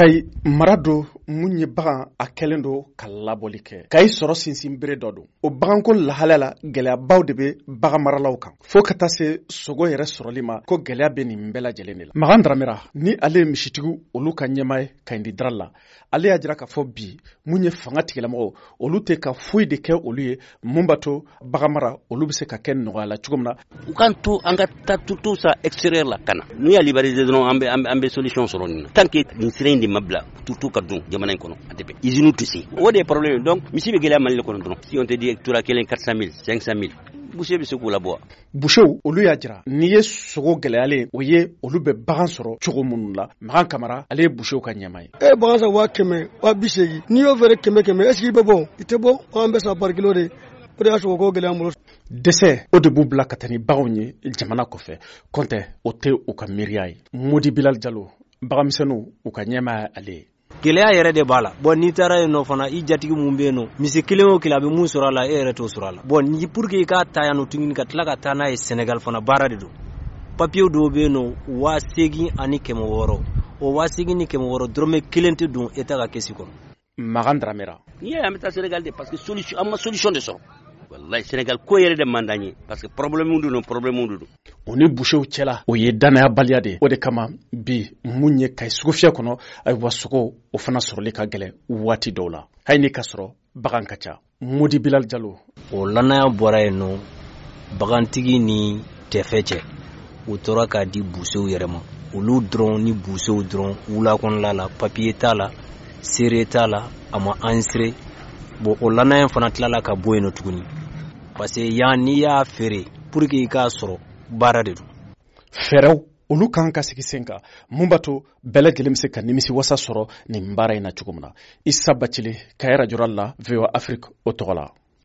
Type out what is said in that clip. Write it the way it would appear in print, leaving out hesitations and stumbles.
Kayi mara don mun ye bagan a kɛlen don ka labɔli kɛ. Kayi sɔrɔ sinsin bere dɔ don. O baganko lahalaya la, gɛlɛyabaw de bɛ bagan maralaw kan. Fo ka taa se sogo yɛrɛ sɔrɔli ma, ko gɛlɛya bɛ nin bɛɛ lajɛlen de la. Makan Daramera ni ale ye misitigiw olu ka ɲɛmaa ye Kayindi Dara la, ale y'a jira k'a fɔ bi mun ye fanga tigilamɔgɔw olu tɛ ka foyi de kɛ olu ye mun b'a to bagan mara olu bɛ se ka kɛ nɔgɔya la cogo min na. U k'an to an ka taa tourteau sa extérieur la ka na, n'u y'a libéraliser dɔrɔn, an bɛ solution sɔrɔ nin na. Tant que nin sira in de ma bila, tourteau ka don jamana in kɔnɔ, a tɛ bɛn, usine tɛ se, o de ye problème ye. Donc misi bɛ gɛlɛya Mali kɔnɔ dɔrɔn. Si on te dit tura kelen 400 000, 500 000, boucher bɛ se k'o labɔ. Busew olu y'a jira n'i ye sogo gɛlɛyalen o ye, olu bɛ bagan sɔrɔ cogo minnu la. Makan Kamara, ale ye busew ka ɲɛmaa ye. E ye bagan san 100 000, 80 000, n'i y'o feere kɛmɛ kɛmɛ, est ce que i bɛ bɔ? I tɛ bɔ. An bɛ san par kilo de, o de y'a sɔgɔ ko gɛlɛya an bolo. Dɛsɛ o de b'u bila ka taa ni baganw ye jamana kɔfɛ, kɔntɛ o tɛ u ka miiriya ye. Modi Bilal Jalo, baganmisɛnninw u ka ɲɛmaa ye ale ye. Gɛlɛya yɛrɛ de b'a la. Bɔn, n'i taara yen nɔ fana, i jatigi mun bɛ yen nɔ, misi kelen o kelen a bɛ mun sɔrɔ a la, e yɛrɛ t'o sɔrɔ a la. Bɔn, ni pour que i k'a ta yan nɔ tuguni ka tila ka taa n'a ye Sénégal fana, baara de don. Papiye dɔw bɛ yen nɔ, 8600, o 8600, dɔrɔmɛ kelen tɛ don État ka caisse kɔnɔ. Makan Daramera. N'i y'a ye an bɛ taa Sénégal de, parce que solution, an ma solution de sɔrɔ. Wallahi, Sénégal ko yɛrɛ de man d'an ye, parce que problème de don, problème de don. O ni busew cɛla, o ye danayabaliya de ye. O de kama bi mun ye Kayi sugufiyɛ kɔnɔ, ayiwa, sogo o fana sɔrɔli ka gɛlɛn waati dɔw la, hali ni ka sɔrɔ bagan ka ca. Modi Bilal Jalo. O lanaya bɔra yen nɔ bagantigi ni tɛfɛ cɛ, u tora k'a di busew yɛrɛ ma, olu dɔrɔn ni busew dɔrɔn. Wula kɔnɔla la, papiye t'a la, seere t'a la, a ma enregistré. Bon, o lanaya fana tilala ka bɔ yen nɔ tuguni, parce que yan n'i y'a feere, pour que i k'a sɔrɔ, baara de don. Fɛɛrɛw olu kan ka sigi sen kan mun b'a to bɛɛ lajɛlen bɛ se ka nimisi wasa sɔrɔ nin baara in na cogo min na. Isa Bacile, Kayi radio la, VOA Afrique o tɔgɔ la.